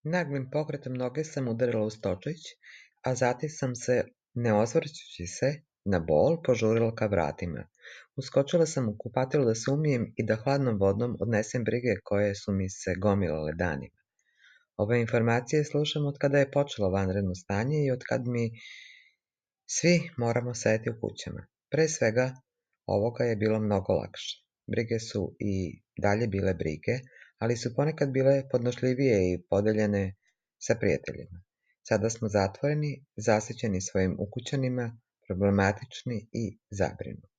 Naglim pokretom noge sam udarila uz točić, a zatim sam se, ne osvrćući se na bol, požurila ka vratima. Uskočila sam u kupatilo da se umijem i da hladnom vodom odnesem brige koje su mi se gomilale danima. Ove informacije slušam od kada je počelo vanredno stanje i od kad mi svi moramo sedeti u kućama. Pre svega, ovoga je bilo mnogo lakše. Brige su i dalje bile brige, ali su ponekad bile podnošljivije i podeljene sa prijateljima. Sada smo zatvoreni, zasićeni svojim ukućanima, problematični i zabrinuti.